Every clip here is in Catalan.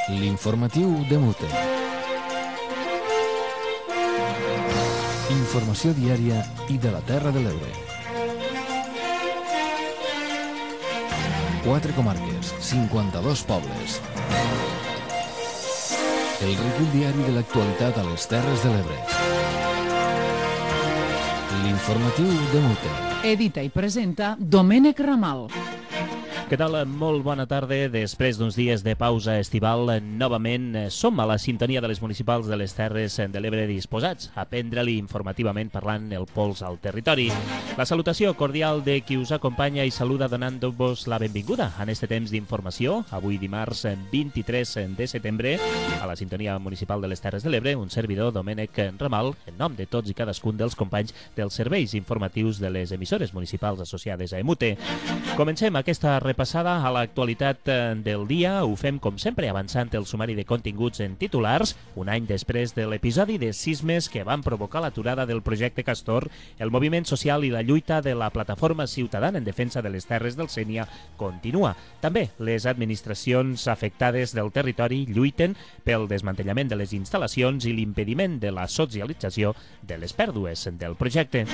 L'informatiu de Mute. Informació diària i de la Terra de l'Ebre. 4 comarques, 52 pobles. El recull diari de l'actualitat a les Terres de l'Ebre. L'informatiu de Mute. Edita i presenta Domènec Ramal. Què tal? Molt bona tarda. Després d'uns dies de pausa estival, novament som a la sintonia de les municipals de les Terres de l'Ebre disposats a prendre-li informativament parlant el pols al territori. La salutació cordial de qui us acompanya i saluda donant-vos la benvinguda en este temps d'informació. Avui dimarts 23 de setembre, a la sintonia municipal de les Terres de l'Ebre, un servidor, Domènec Ramal, en nom de tots i cadascun dels companys dels serveis informatius de les emissores municipals associades a EMUTE. Comencem aquesta repassada a l'actualitat del dia. Ho fem, com sempre, avançant el sumari de continguts en titulars. Un any després de l'episodi de sismes que van provocar l'aturada del projecte Castor, el moviment social i la lluita de la plataforma ciutadana en defensa de les terres del Sénia continua. També les administracions afectades del territori lluiten pel desmantellament de les instal·lacions i l'impediment de la socialització de les pèrdues del projecte.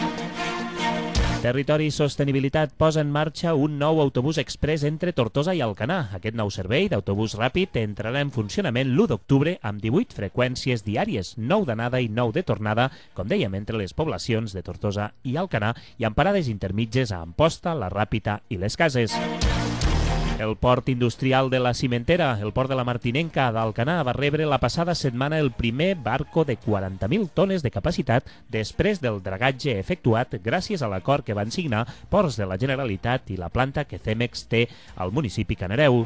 Territori i Sostenibilitat posa en marxa un nou autobús express entre Tortosa i Alcanar. Aquest nou servei d'autobús ràpid entrarà en funcionament l'1 d'octubre amb 18 freqüències diàries, 9 d'anada i 9 de tornada, com dèiem, entre les poblacions de Tortosa i Alcanar i amb parades intermitges a Amposta, la Ràpita i les Cases. El port industrial de la Cimentera, el port de la Martinenca d'Alcanar, va rebre la passada setmana el primer barco de 40.000 tones de capacitat després del dragatge efectuat gràcies a l'acord que van signar Ports de la Generalitat i la planta que Cemex té al municipi Canareu.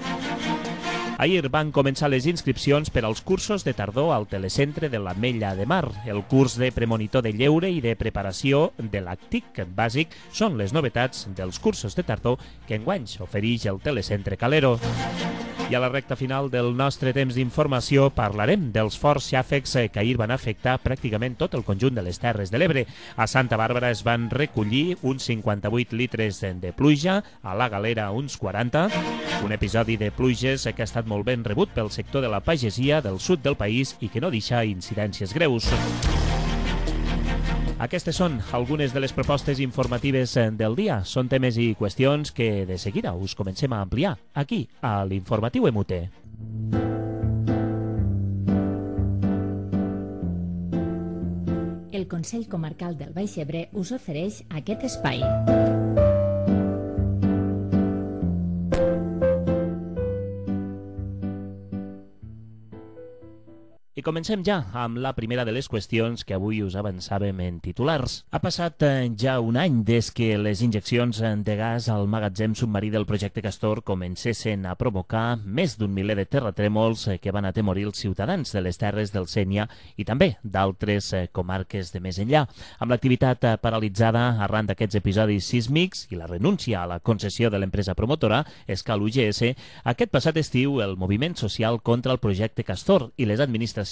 Ahir van començar les inscripcions per als cursos de tardor al telecentre de l'Ametlla de Mar. El curs de premonitor de lleure i de preparació de l'ACTIC bàsic són les novetats dels cursos de tardor que enguany ofereix el telecentre Calero. I a la recta final del nostre temps d'informació parlarem dels forts xàfecs que ahir van afectar pràcticament tot el conjunt de les Terres de l'Ebre. A Santa Bàrbara es van recollir uns 58 litres de pluja, a la Galera uns 40, un episodi de pluges que ha estat molt ben rebut pel sector de la pagesia del sud del país i que no deixa incidències greus. Aquestes són algunes de les propostes informatives del dia. Són temes i qüestions que de seguida us comencem a ampliar aquí, a l'Informatiu EMUTE. El Consell Comarcal del Baix Ebre us ofereix aquest espai. I comencem ja amb la primera de les qüestions que avui us avançàvem en titulars. Ha passat ja un any des que les injeccions de gas al magatzem submarí del projecte Castor comencessin a provocar més d'un miler de terratrèmols que van atemorir els ciutadans de les terres del Sénia i també d'altres comarques de més enllà. Amb l'activitat paralitzada arran d'aquests episodis sísmics i la renúncia a la concessió de l'empresa promotora, Escal UGS, aquest passat estiu el moviment social contra el projecte Castor i les administracions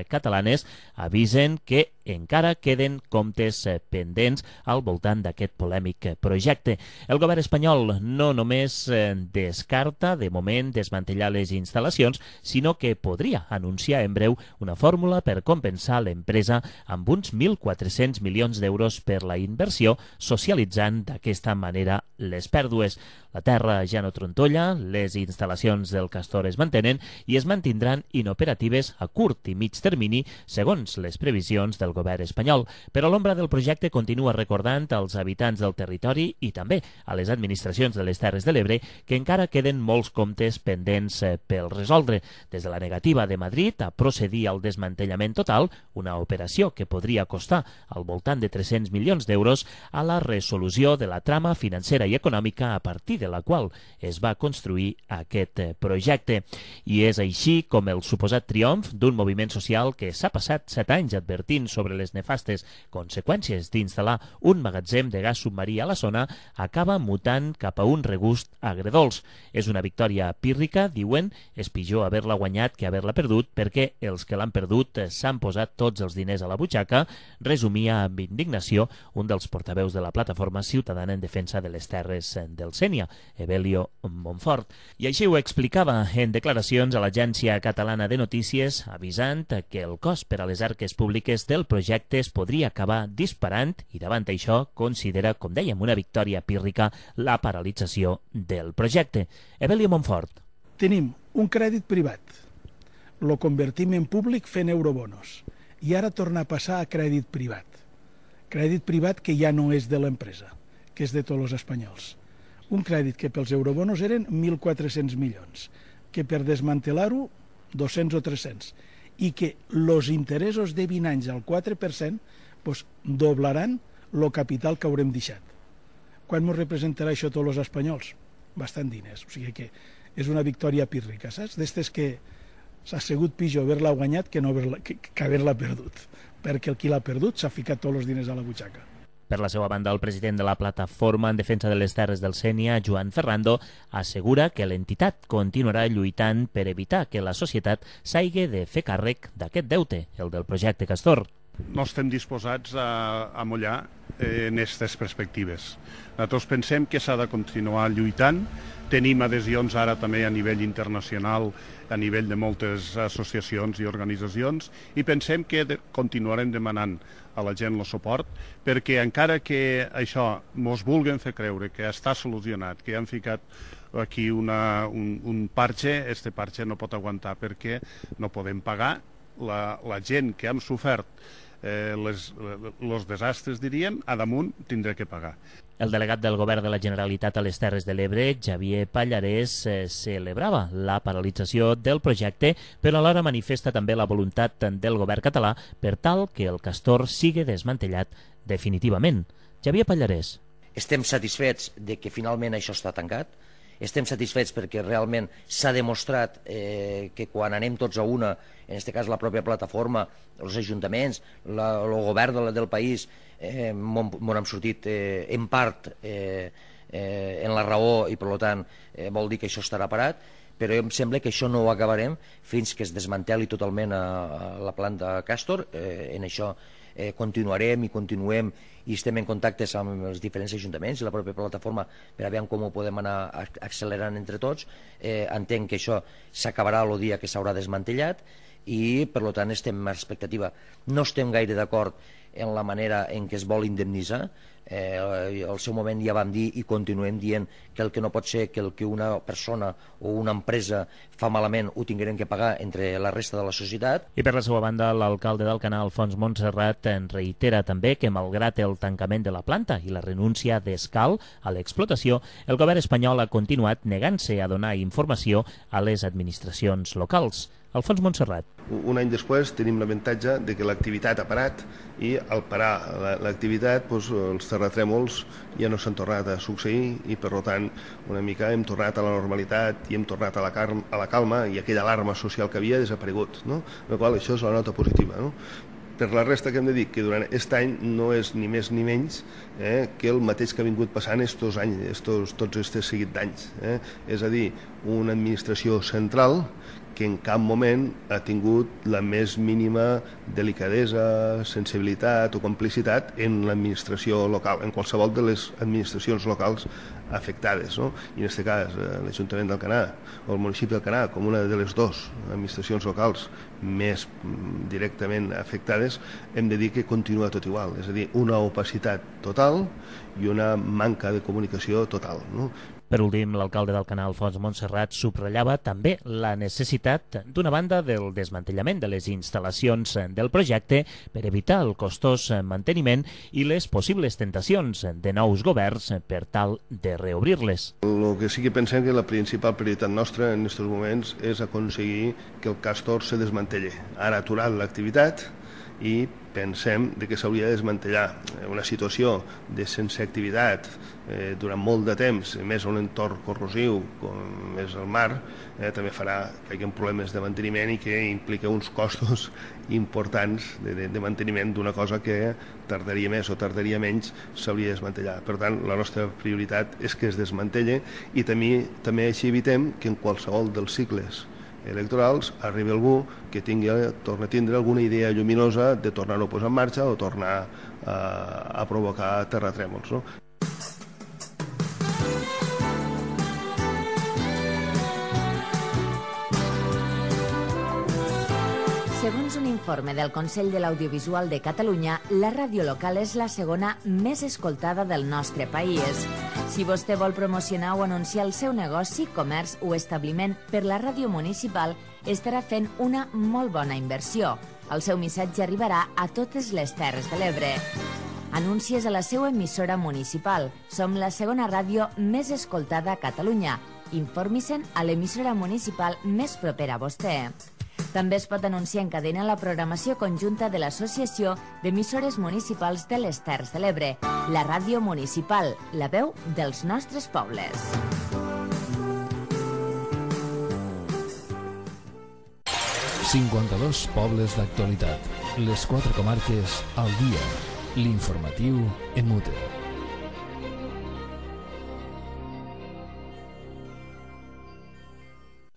catalanes avisen que encara queden comptes pendents al voltant d'aquest polèmic projecte. El govern espanyol no només descarta de moment desmantellar les instal·lacions, sinó que podria anunciar en breu una fórmula per compensar l'empresa amb uns 1.400 milions d'euros per la inversió, socialitzant d'aquesta manera les pèrdues. La terra ja no trontolla, les instal·lacions del Castor es mantenen i es mantindran inoperatives a curt i mig termini, segons les previsions del govern espanyol. Però l'ombra del projecte continua recordant als habitants del territori i també a les administracions de les Terres de l'Ebre que encara queden molts comptes pendents per resoldre. Des de la negativa de Madrid a procedir al desmantellament total, una operació que podria costar al voltant de 300 milions d'euros, a la resolució de la trama financera i econòmica a partir de la qual es va construir aquest projecte. I és així com el suposat triomf d'un moviment social que s'ha passat 7 anys advertint sobre sobre les nefastes conseqüències d'instal·lar un magatzem de gas submarí a la zona, acaba mutant cap a un regust agredolç. És una victòria pírrica, diuen, és pitjor haver-la guanyat que haver-la perdut, perquè els que l'han perdut s'han posat tots els diners a la butxaca, resumia amb indignació un dels portaveus de la plataforma ciutadana en defensa de les terres del Sénia, Evelio Montfort. I així ho explicava en declaracions a l'Agència Catalana de Notícies, avisant que el cost per a les arques públiques del projecte es podria acabar disparant i davant això considera, com dèiem, una victòria pírrica la paralització del projecte. Evelio Montfort. Tenim un crèdit privat, lo convertim en públic fent eurobonos i ara torna a passar a crèdit privat. Crèdit privat que ja no és de l'empresa, que és de tots els espanyols. Un crèdit que pels eurobonos eren 1.400 milions, que per desmantelar-ho 200 o 300, i que els interessos de 20 anys al 4% doblaran el capital que haurem deixat. Quan ens representarà això tots els espanyols? Bastant diners, o sigui que és una victòria pírrica, saps? D'estes que s'ha sigut pitjor haver-la guanyat que haver-la perdut, perquè el qui l'ha perdut s'ha ficat tots els diners a la butxaca. Per la seva banda, el president de la Plataforma en Defensa de les Terres del Sénia, Joan Ferrando, assegura que l'entitat continuarà lluitant per evitar que la societat s'hagi de fer càrrec d'aquest deute, el del projecte Castor. No estem disposats a mullar en aquestes perspectives. Nosaltres pensem que s'ha de continuar lluitant. Tenim adhesions ara també a nivell internacional, a nivell de moltes associacions i organitzacions, i pensem que continuarem demanant a la gent el suport, perquè encara que això mos vulguen fer creure que està solucionat, que han ficat aquí un parche, este parche no pot aguantar perquè no podem pagar. La gent que hem sofert els desastres, diríem, a damunt tindrà que pagar. El delegat del Govern de la Generalitat a les Terres de l'Ebre, Xavier Pallarès, celebrava la paralització del projecte, però alhora manifesta també la voluntat del govern català per tal que el Castor sigui desmantellat definitivament. Xavier Pallarès. Estem satisfets de que finalment això està tancat. Estem satisfets perquè realment s'ha demostrat que quan anem tots a una, en aquest cas la pròpia plataforma, els ajuntaments, el govern del país, on hem sortit en part en la raó i per tant vol dir que això estarà parat, però em sembla que això no ho acabarem fins que es desmanteli totalment la planta Castor. En això continuarem i continuem i estem en contactes amb els diferents ajuntaments i la pròpia plataforma per a veure com ho podem anar accelerant entre tots. Entenc que això s'acabarà el dia que s'haurà desmantellat i per tant estem en expectativa. No estem gaire d'acord en la manera en què es vol indemnitzar. Al seu moment ja vam dir i continuem dient que el que no pot ser que el que una persona o una empresa fa malament ho tinguem que pagar entre la resta de la societat. I per la seva banda, l'alcalde d'Alcanar, Alfons Montserrat, reitera també que malgrat el tancament de la planta i la renúncia d'Escal a l'explotació, el govern espanyol ha continuat negant-se a donar informació a les administracions locals. Alfons Montserrat. Un any després tenim l'avantatge de que l'activitat ha parat i al parar l'activitat els terratrèmols ja no s'han tornat a succeir i per tant una mica hem tornat a la normalitat i hem tornat a la calma i aquella alarma social que havia desaparegut, no? Per la qual això és la nota positiva, no? Per la resta que hem de dir que durant aquest any no és ni més ni menys que el mateix que ha vingut passant estos anys, tots aquests seguit d'anys. És a dir, una administració central que en cap moment ha tingut la més mínima delicadesa, sensibilitat o complicitat en l'administració local, en qualsevol de les administracions locals afectades, no? I en aquest cas l'Ajuntament d'Alcanar o el municipi d'Alcanar, com una de les dues administracions locals més directament afectades, hem de dir que continua tot igual, és a dir, una opacitat total i una manca de comunicació total, no? Per últim, l'alcalde d'Alcanar, Alfons Montserrat, subratllava també la necessitat, d'una banda, del desmantellament de les instal·lacions del projecte per evitar el costós manteniment i les possibles tentacions de nous governs per tal de reobrir-les. El que sí que pensem que la principal prioritat nostra en aquests moments és aconseguir que el Castor se desmantelli. Ara ha aturat l'activitat i pensem que s'hauria de desmantellar. Una situació de sense activitat durant molt de temps, més un entorn corrosiu com és el mar, també farà que hi hagi problemes de manteniment i que implica uns costos importants de manteniment d'una cosa que tardaria més o tardaria menys, s'hauria de desmantellar. Per tant, la nostra prioritat és que es desmantelle i també així evitem que en qualsevol dels cicles electorals arribi algú que torni a tindre alguna idea lluminosa de tornar-ho a posar en marxa o tornar a provocar terratrèmols, no? Segons un informe del Consell de l'Audiovisual de Catalunya, la ràdio local és la segona més escoltada del nostre país. Si vostè vol promocionar o anunciar el seu negoci, comerç o establiment per la ràdio municipal, estarà fent una molt bona inversió. El seu missatge arribarà a totes les Terres de l'Ebre. Anuncies a la seva emissora municipal. Som la segona ràdio més escoltada a Catalunya. Informi-se'n a l'emissora municipal més propera a vostè. També es pot anunciar en cadena la programació conjunta de l'Associació d'Emissores Municipals de les Terres de l'Ebre, la ràdio municipal, la veu dels nostres pobles. ...52 pobles d'actualitat. Les 4 comarques al dia. L'informatiu en Mute.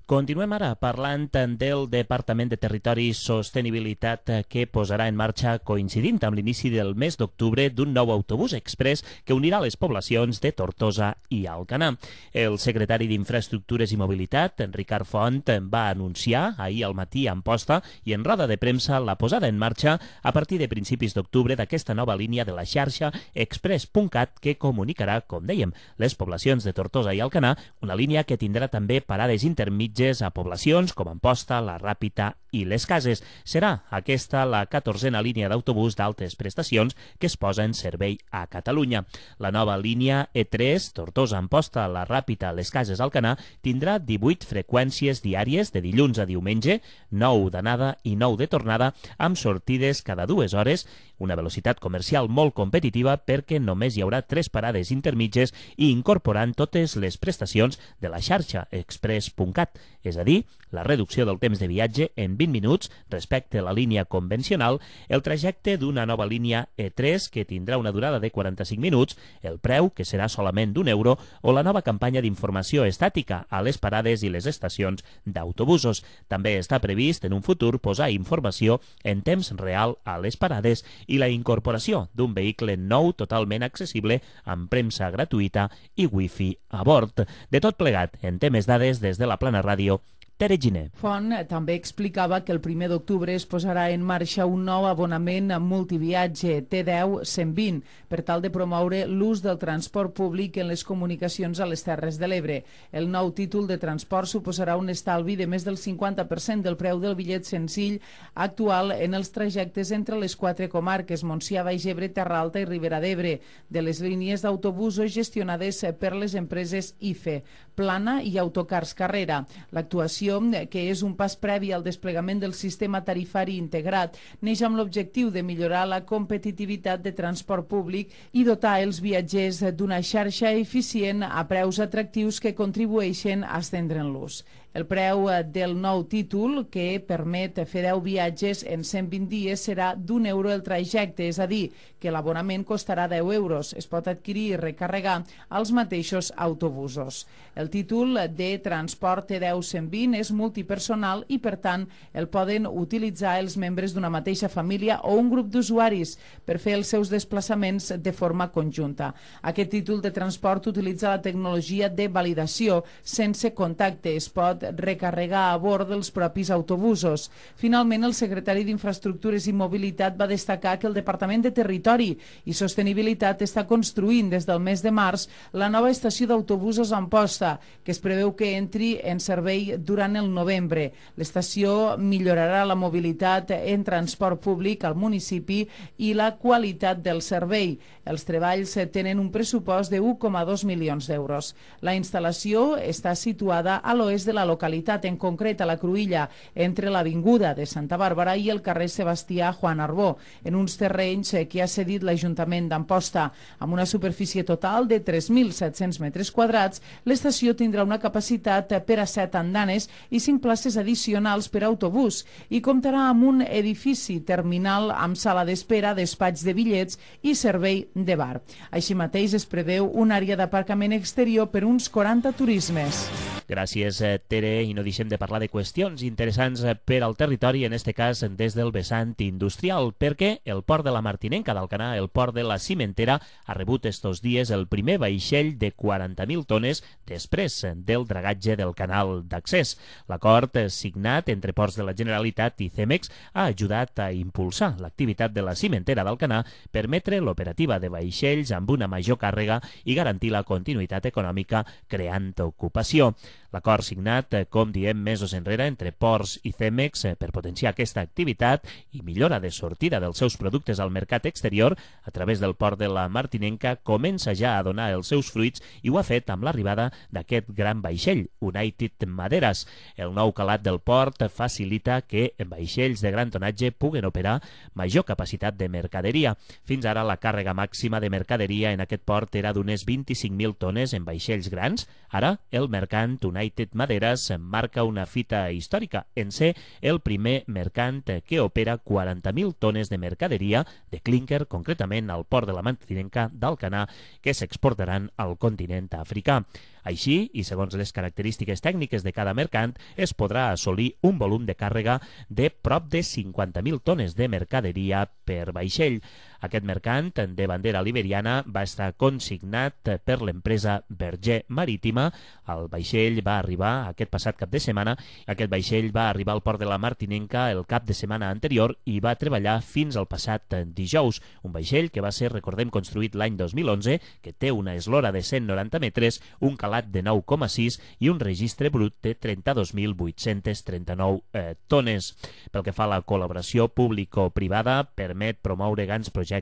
Continuem ara parlant del Departament de Territori i Sostenibilitat que posarà en marxa, coincidint amb l'inici del mes d'octubre, d'un nou autobús express que unirà les poblacions de Tortosa i Alcanar. El secretari d'Infraestructures i Mobilitat, Ricard Font, va anunciar ahir al matí a Amposta i en roda de premsa la posada en marxa a partir de principis d'octubre d'aquesta nova línia de la xarxa Express.cat que comunicarà, com dèiem, les poblacions de Tortosa i Alcanar, una línia que tindrà també parades intermitges a poblacions com Amposta, la Ràpita i les Cases. Serà aquesta la 14a línia d'autobús d'altes prestacions que es posa en servei a Catalunya. La nova línia E3, Tortosa, Amposta, la Ràpita, les Cases, Alcanar, tindrà 18 freqüències diàries de dilluns a diumenge, 9 d'anada i 9 de tornada, amb sortides cada 2 hores, una velocitat comercial molt competitiva perquè només hi haurà 3 parades intermitges i incorporant totes les prestacions de la xarxa Express.cat, és a dir, la reducció del temps de viatge en 20 minuts respecte a la línia convencional, el trajecte d'una nova línia E3 que tindrà una durada de 45 minuts, el preu, que serà solament d'€1, o la nova campanya d'informació estàtica a les parades i les estacions d'autobusos. També està previst en un futur posar informació en temps real a les parades i la incorporació d'un vehicle nou totalment accessible amb premsa gratuïta i wifi a bord. De tot plegat, en té més dades des de la Plana Ràdio, Tere Giner. Font també explicava que el 1 d'octubre es posarà en marxa un nou abonament multiviatge T10-120 per tal de promoure l'ús del transport públic en les comunicacions a les Terres de l'Ebre. El nou títol de transport suposarà un estalvi de més del 50% del preu del bitllet senzill actual en els trajectes entre les 4 comarques, Montsià, Baix Ebre, Terra Alta i Ribera d'Ebre, de les línies d'autobusos gestionades per les empreses IFE, Plana i Autocars Carrera. L'actuació, que és un pas previ al desplegament del sistema tarifari integrat, neix amb l'objectiu de millorar la competitivitat de transport públic i dotar els viatgers d'una xarxa eficient a preus atractius que contribueixen a estendre'n l'ús. El preu del nou títol, que permet fer 10 viatges en 120 dies, serà d'€1 el trajecte, és a dir, que l'abonament costarà €10. Es pot adquirir i recarregar als mateixos autobusos. El títol de transport T10-120 és multipersonal i, per tant, el poden utilitzar els membres d'una mateixa família o un grup d'usuaris per fer els seus desplaçaments de forma conjunta. Aquest títol de transport utilitza la tecnologia de validació sense contacte. Es pot recarregar a bord dels propis autobusos. Finalment, el secretari d'Infraestructures i Mobilitat va destacar que el Departament de Territori i Sostenibilitat està construint des del mes de març la nova estació d'autobusos a Amposta, que es preveu que entri en servei durant durant el novembre. L'estació millorarà la mobilitat en transport públic al municipi i la qualitat del servei. Els treballs tenen un pressupost de 1,2 milions d'euros. La instal·lació està situada a l'oest de la localitat, en concret a la Cruïlla, entre l'Avinguda de Santa Bàrbara i el carrer Sebastià Juan Arbó, en uns terrenys que ha cedit l'Ajuntament d'Amposta. Amb una superfície total de 3.700 metres quadrats, l'estació tindrà una capacitat per a 7 andanes i 5 places addicionals per a autobús i comptarà amb un edifici terminal amb sala d'espera, despatx de bitllets i servei de bar. Així mateix es preveu una àrea d'aparcament exterior per uns 40 turismes. Gràcies, Tere, i no deixem de parlar de qüestions interessants per al territori, en este cas des del vessant industrial, perquè el port de la Martinenca d'Alcanar, el port de la Cimentera, ha rebut estos dies el primer vaixell de 40.000 tones després del dragatge del canal d'accés. L'acord signat entre Ports de la Generalitat i Cemex ha ajudat a impulsar l'activitat de la Cimentera d'Alcanar, permetre l'operativa de vaixells amb una major càrrega i garantir la continuïtat econòmica creant ocupació. L'acord signat, com diem, mesos enrere entre Ports i Cemex per potenciar aquesta activitat i millora de sortida dels seus productes al mercat exterior a través del port de la Martinenca comença ja a donar els seus fruits i ho ha fet amb l'arribada d'aquest gran vaixell, United Maderas. El nou calat del port facilita que vaixells de gran tonatge puguen operar major capacitat de mercaderia. Fins ara la càrrega màxima de mercaderia en aquest port era d'unes 25.000 tones en vaixells grans. Ara el mercant United Maderas marca una fita històrica en ser el primer mercant que opera 40.000 tones de mercaderia de clínquer, concretament al port de la Martinenca d'Alcanar, que s'exportaran al continent africà. Així, i segons les característiques tècniques de cada mercant, es podrà assolir un volum de càrrega de prop de 50.000 tones de mercaderia per vaixell. Aquest mercant de bandera liberiana va estar consignat per l'empresa Berger Marítima. El vaixell va arribar aquest passat cap de setmana. Aquest vaixell va arribar al port de la Martinenca el cap de setmana anterior i va treballar fins al passat dijous. Un vaixell que va ser, recordem, construït l'any 2011, que té una eslora de 190 metres, un calat de 9,6 i un registre brut de 32.839 tones. Pel que fa a la col·laboració público-privada, permet promoure grans projectes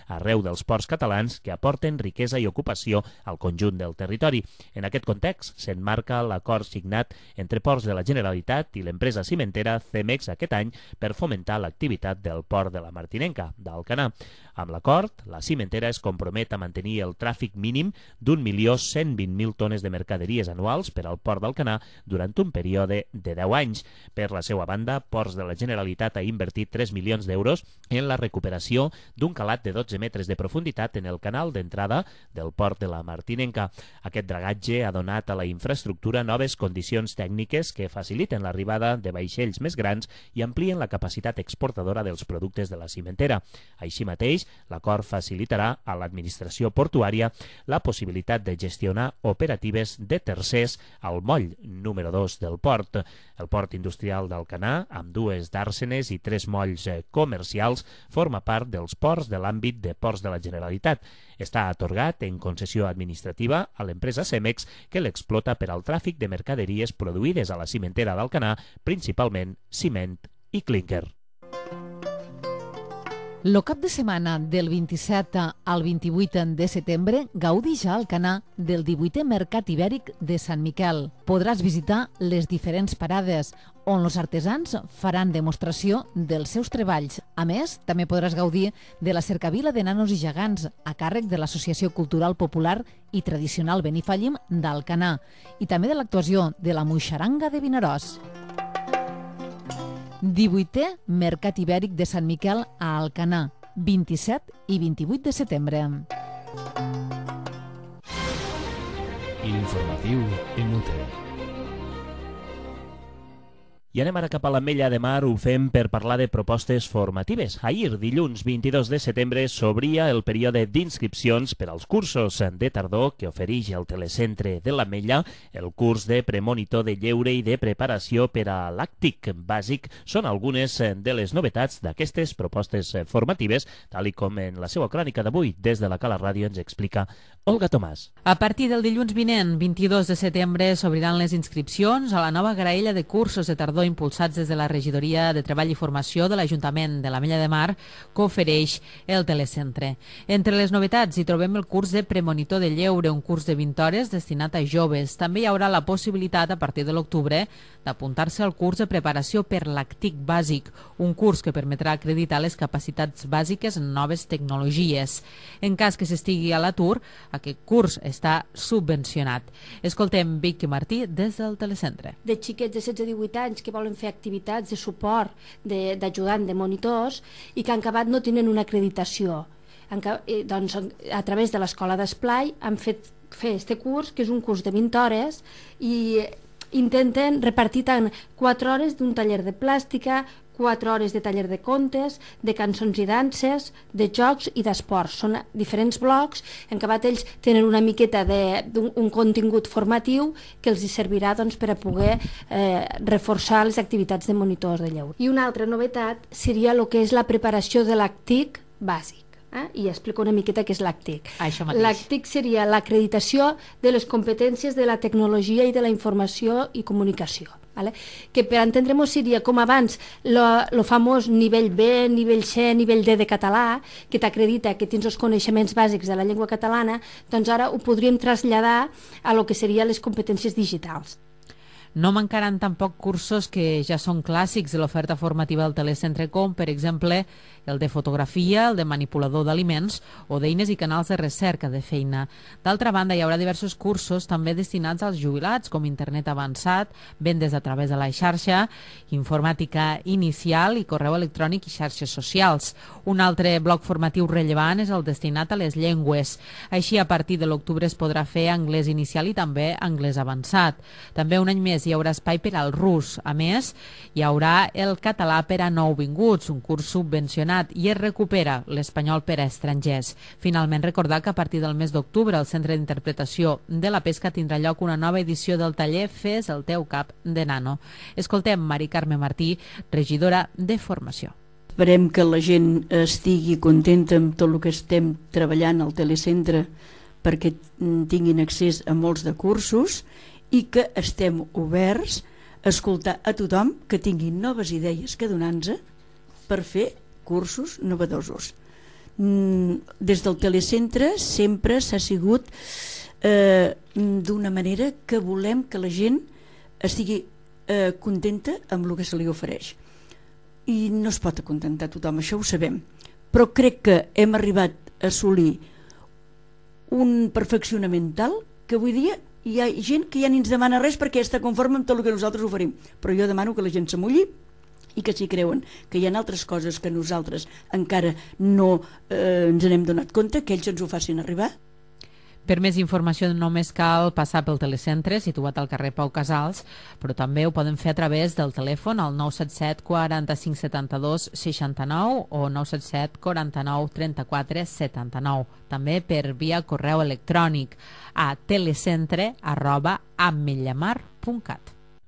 arreu dels ports catalans que aporten riquesa i ocupació al conjunt del territori. En aquest context s'emmarca l'acord signat entre Ports de la Generalitat i l'empresa cimentera Cemex aquest any per fomentar l'activitat del port de la Martinenca d'Alcanar. Amb l'acord, la cimentera es compromet a mantenir el tràfic mínim d'1.120.000 tones de mercaderies anuals per al port d'Alcanar durant un període de 10 anys. Per la seva banda, Ports de la Generalitat ha invertit 3 milions d'euros en la recuperació d'un calat de 12 metres de profunditat en el canal d'entrada del port de la Martinenca. Aquest dragatge ha donat a la infraestructura noves condicions tècniques que faciliten l'arribada de vaixells més grans i amplien la capacitat exportadora dels productes de la cimentera. Així mateix, l'acord facilitarà a l'administració portuària la possibilitat de gestionar operatives de tercers al moll número 2 del port. El port industrial d'Alcanar, amb 2 dàrsenes i 3 molls comercials, forma part dels ports de l'àmbit de Ports de la Generalitat. Està atorgat en concessió administrativa a l'empresa Cemex, que l'explota per al tràfic de mercaderies produïdes a la cimentera d'Alcanar, principalment ciment i clínquer. Lo cap de setmana del 27 al 28 de setembre gaudix a Alcanar del 18è Mercat Ibèric de Sant Miquel. Podràs visitar les diferents parades on els artesans faran demostració dels seus treballs. A més, també podràs gaudir de la cercavila de nanos i gegants a càrrec de l'Associació Cultural Popular i Tradicional Benifallim d'Alcanar i també de l'actuació de la Moixaranga de Vinaròs. 18è Mercat Ibèric de Sant Miquel a Alcanar, 27 i 28 de setembre. L'informatiu Inútil. I anem ara cap a l'Ametlla de Mar, ho fem per parlar de propostes formatives. Ahir, dilluns 22 de setembre, s'obria el període d'inscripcions per als cursos de tardor que ofereix el telecentre de l'Ametlla. El curs de premonitor de lleure i de preparació per a l'àctic bàsic són algunes de les novetats d'aquestes propostes formatives, tal i com en la seva crònica d'avui des de la Cala Ràdio ens explica Olga Tomàs. A partir del dilluns vinent, 22 de setembre, s'obriran les inscripcions a la nova graella de cursos de tardor impulsats des de la Regidoria de Treball i Formació de l'Ajuntament de l'Ametlla de Mar que ofereix el telecentre. Entre les novetats hi trobem el curs de premonitor de lleure, un curs de 20 hores destinat a joves. També hi haurà la possibilitat, a partir de l'octubre, d'apuntar-se al curs de preparació per l'àctic bàsic, un curs que permetrà acreditar les capacitats bàsiques en noves tecnologies. En cas que s'estigui a l'atur, aquest curs està subvencionat. Escoltem Vicky Martí des del telecentre. De xiquets de 16-18 anys que volen fer activitats de suport, d'ajudant, de monitors, i que en acabat no tenen una acreditació. Doncs, a través de l'Escola d'Esplai han fet fer este curs, que és un curs de 20 hores, i intenten repartir tant 4 hores d'un taller de plàstica, 4 hores de taller de contes, de cançons i danses, de jocs i d'esports. Són diferents blocs en què ells tenen una miqueta d'un contingut formatiu que els servirà doncs, per a poder reforçar les activitats de monitors de lleure. I una altra novetat seria el que és la preparació de l'àctic bàsic. I explico una miqueta què és l'àctic. L'àctic seria l'acreditació de les competències de la tecnologia i de la informació i comunicació. Que per entendre-nos seria com abans el famós nivell B, nivell C, nivell D de català, que t'acredita que tens els coneixements bàsics de la llengua catalana, doncs ara ho podríem traslladar a lo que serien les competències digitals. No mancaran tampoc cursos que ja són clàssics de l'oferta formativa del telecentre, com, per exemple, el de fotografia, el de manipulador d'aliments o d'eines i canals de recerca de feina. D'altra banda, hi haurà diversos cursos també destinats als jubilats, com internet avançat, vendes a través de la xarxa, informàtica inicial i correu electrònic i xarxes socials. Un altre bloc formatiu rellevant és el destinat a les llengües. Així, a partir de l'octubre es podrà fer anglès inicial i també anglès avançat. També un any més hi haurà espai per al rus. A més, hi haurà el català per a nouvinguts, un curs subvencionat, i es recupera l'espanyol per a estrangers. Finalment, recordar que a partir del mes d'octubre el Centre d'Interpretació de la Pesca tindrà lloc una nova edició del taller Fes el teu cap de nano. Escoltem Mari Carme Martí, regidora de Formació. Esperem que la gent estigui contenta amb tot el que estem treballant al telecentre perquè tinguin accés a molts de cursos i que estem oberts a escoltar a tothom que tingui noves idees que donar-nos per fer cursos novedosos. Des del telecentre sempre s'ha sigut d'una manera que volem que la gent estigui contenta amb el que se li ofereix. I no es pot acontentar tothom, això ho sabem. Però crec que hem arribat a assolir un perfeccionament tal que avui dia hi ha gent que ja ni ens demana res perquè està conforme amb tot el que nosaltres oferim. Però jo demano que la gent s'amulli i que si creuen que hi ha altres coses que nosaltres encara no ens n'hem donat compte, que ells ens ho facin arribar. Per més informació només cal passar pel telecentre, situat al carrer Pau Casals, però també ho poden fer a través del telèfon al 977 45 72 69 o 977 49 34 79. També per via correu electrònic a telecentre@ametllamar.cat.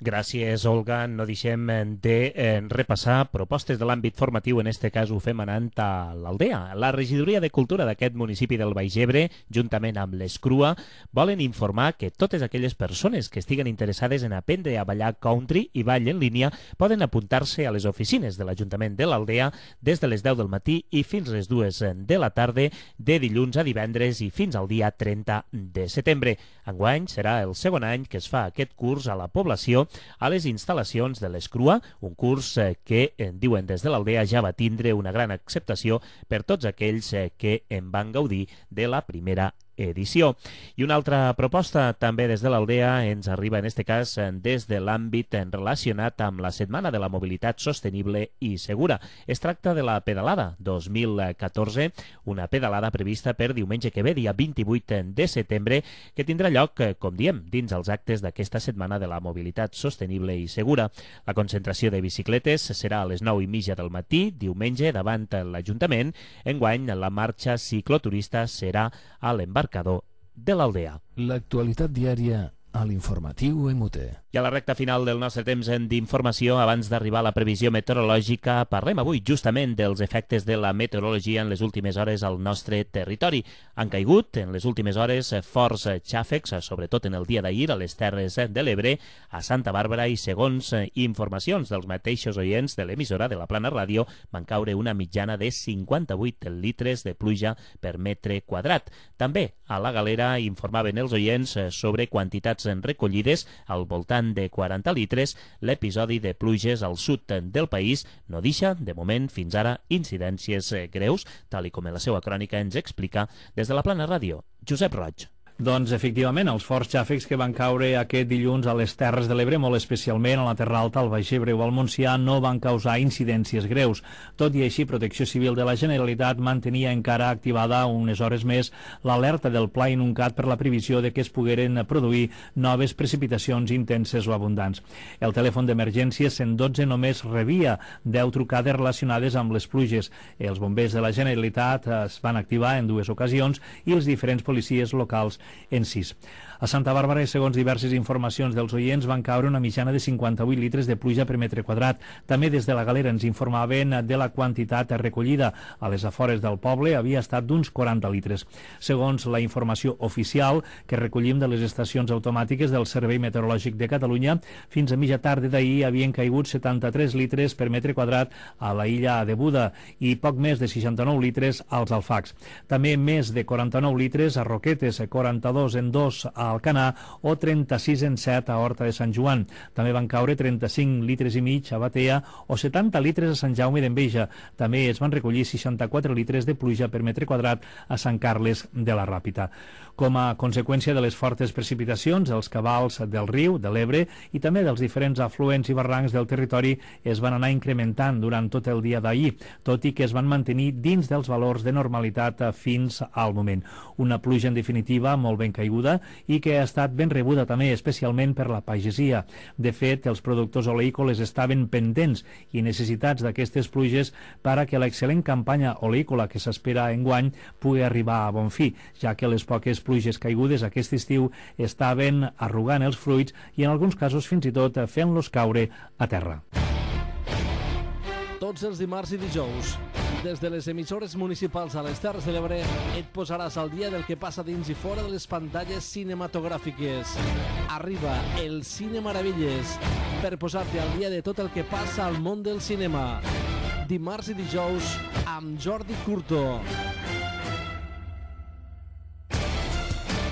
Gràcies, Olga. No deixem de repassar propostes de l'àmbit formatiu. En este cas ho fem anant a l'Aldea. La Regidoria de Cultura d'aquest municipi del Baix Ebre, juntament amb l'Escrua, volen informar que totes aquelles persones que estiguen interessades en aprendre a ballar country i ball en línia poden apuntar-se a les oficines de l'Ajuntament de l'Aldea des de les 10 del matí i fins les 2 de la tarda, de dilluns a divendres i fins al dia 30 de setembre. Enguany serà el segon any que es fa aquest curs a la població a les instal·lacions de l'Escrua, un curs que, diuen des de l'Aldea, ja va tindre una gran acceptació per tots aquells que en van gaudir de la primera edició. I una altra proposta també des de l'Aldea ens arriba en este cas des de l'àmbit relacionat amb la Setmana de la Mobilitat Sostenible i Segura. Es tracta de la Pedalada 2014, una pedalada prevista per diumenge que ve, dia 28 de setembre, que tindrà lloc, com diem, dins els actes d'aquesta Setmana de la Mobilitat Sostenible i Segura. La concentració de bicicletes serà a les 9:30 del matí, diumenge, davant l'Ajuntament. Enguany, la marxa cicloturista serà a l'embarcador de l'Aldea. L'actualitat diària a l'informatiu EMUTE. I a la recta final del nostre temps d'informació, abans d'arribar a la previsió meteorològica, parlem avui justament dels efectes de la meteorologia en les últimes hores al nostre territori. Han caigut en les últimes hores forts xàfecs, sobretot en el dia d'ahir, a les Terres de l'Ebre, a Santa Bàrbara, i segons informacions dels mateixos oients de l'emissora de la Plana Ràdio, van caure una mitjana de 58 litres de pluja per metre quadrat. També a la Galera informaven els oients sobre quantitats recollides al voltant de 40 litres. L'episodi de pluges al sud del país no deixa, de moment, fins ara, incidències greus, tal i com en la seva crònica ens explica des de la Plana Ràdio, Josep Roig. Doncs, efectivament, els forts xàfecs que van caure aquest dilluns a les Terres de l'Ebre, molt especialment a la Terra Alta, al Baix Ebre o al Montsià, no van causar incidències greus. Tot i així, Protecció Civil de la Generalitat mantenia encara activada unes hores més l'alerta del Pla Inuncat per la previsió de que es pogueren produir noves precipitacions intenses o abundants. El telèfon d'emergència 112 només rebia 10 trucades relacionades amb les pluges. Els bombers de la Generalitat es van activar en 2 ocasions i els diferents policies locals en 6. A Santa Bàrbara, segons diverses informacions dels oients, van caure una mitjana de 58 litres de pluja per metre quadrat. També des de la Galera ens informaven de la quantitat recollida a les afores del poble, havia estat d'uns 40 litres. Segons la informació oficial que recollim de les estacions automàtiques del Servei Meteorològic de Catalunya, fins a mitja tarda d'ahir havien caigut 73 litres per metre quadrat a la illa de Buda i poc més de 69 litres als Alfacs. També més de 49 litres a Roquetes, 42 en 2 a Alcanar o 36 en 7 a Horta de Sant Joan. També van caure 35 litres i mig a Batea o 70 litres a Sant Jaume d'Enveja. També es van recollir 64 litres de pluja per metre quadrat a Sant Carles de la Ràpita. Com a conseqüència de les fortes precipitacions, els cabals del riu, de l'Ebre i també dels diferents afluents i barrancs del territori es van anar incrementant durant tot el dia d'ahir, tot i que es van mantenir dins dels valors de normalitat fins al moment. Una pluja, en definitiva, molt ben caiguda i que ha estat ben rebuda també, especialment per la pagesia. De fet, els productors oleícoles estaven pendents i necessitats d'aquestes pluges per a que l'excel·lent campanya oleícola que s'espera enguany pugui arribar a bon fi, ja que les poques pluges caigudes aquest estiu estaven arrugant els fruits i en alguns casos fins i tot fent-los caure a terra. Tots els dimarts i dijous, des de les emissores municipals a les Terres de l'Ebre, et posaràs al dia del que passa dins i fora de les pantalles cinematogràfiques. Arriba el Cine Meravelles per posar-te al dia de tot el que passa al món del cinema. Dimarts i dijous amb Jordi Curto.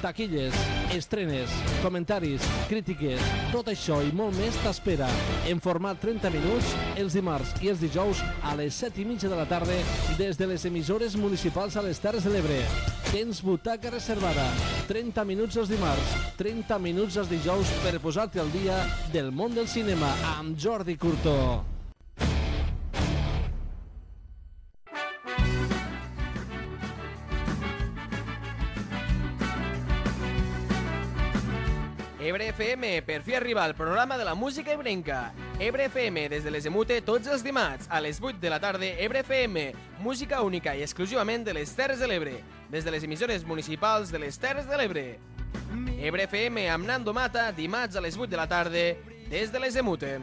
Taquilles, estrenes, comentaris, crítiques, tot això i molt més t'espera en format 30 minuts els dimarts i els dijous a les 7:30 de la tarda des de les emissores municipals a les Terres de l'Ebre. Tens butaca reservada, 30 minuts els dimarts, 30 minuts els dijous per posar-te al dia del món del cinema amb Jordi Curto. Ebre FM, per fi arriba al programa de la música ebrenca. Ebre FM, des de les EMUTE, tots els dimarts, a les 8 de la tarda, Ebre FM, música única i exclusivament de les Terres de l'Ebre, des de les emissores municipals de les Terres de l'Ebre. Ebre FM amb Nando Mata, dimarts a les 8 de la tarda, des de les EMUTE.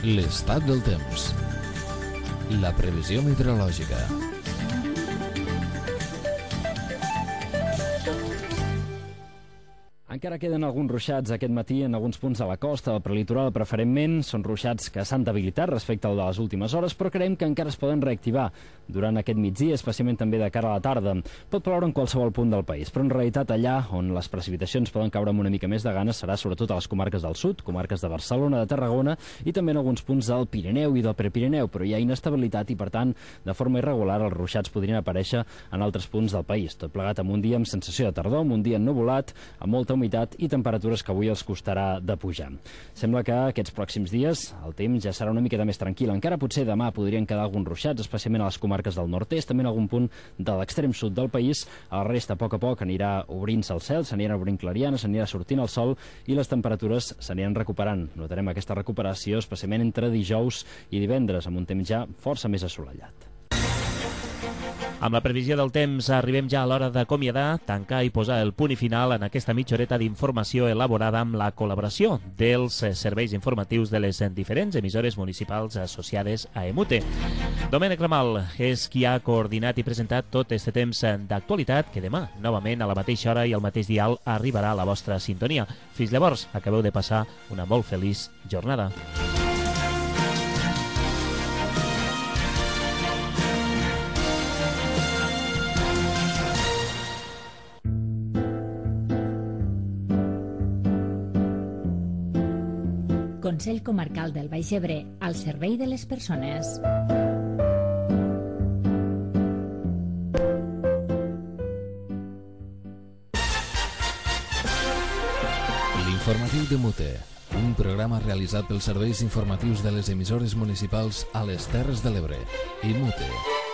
L'estat del temps. La previsió meteorològica. Encara queden alguns ruixats aquest matí en alguns punts de la costa, del prelitoral preferentment. Són ruixats que s'han debilitat respecte al de les últimes hores, però creiem que encara es poden reactivar durant aquest migdia, especialment també de cara a la tarda. Pot ploure en qualsevol punt del país, però en realitat allà on les precipitacions poden caure amb una mica més de ganes serà sobretot a les comarques del sud, comarques de Barcelona, de Tarragona i també en alguns punts del Pirineu i del Prepirineu, però hi ha inestabilitat i, per tant, de forma irregular els ruixats podrien aparèixer en altres punts del país. Tot plegat amb un dia amb sensació de tardor, amb un dia ennuvolat, amb molta humitat i temperatures que avui els costarà de pujar. Sembla que aquests pròxims dies el temps ja serà una miqueta més tranquil. Encara potser demà podrien quedar alguns ruixats, especialment a les comarques del nord-est, també en algun punt de l'extrem sud del país. A la resta, a poc anirà obrint-se el cel, s'anirà obrint clarianes, s'anirà sortint el sol i les temperatures s'aniran recuperant. Notarem aquesta recuperació especialment entre dijous i divendres, amb un temps ja força més assolellat. Amb la previsió del temps arribem ja a l'hora d'acomiadar, tancar i posar el punt i final en aquesta mitja horeta d'informació elaborada amb la col·laboració dels serveis informatius de les diferents emissores municipals associades a EMUTE. Domènec Ramal és qui ha coordinat i presentat tot este temps d'actualitat que demà, novament a la mateixa hora i al mateix dial, arribarà a la vostra sintonia. Fins llavors, acabeu de passar una molt feliç jornada. Consell Comarcal del Baix Ebre, al servei de les persones. L'informatiu de Mute, un programa realitzat pels serveis informatius de les emissores municipals a les Terres de l'Ebre i Mute.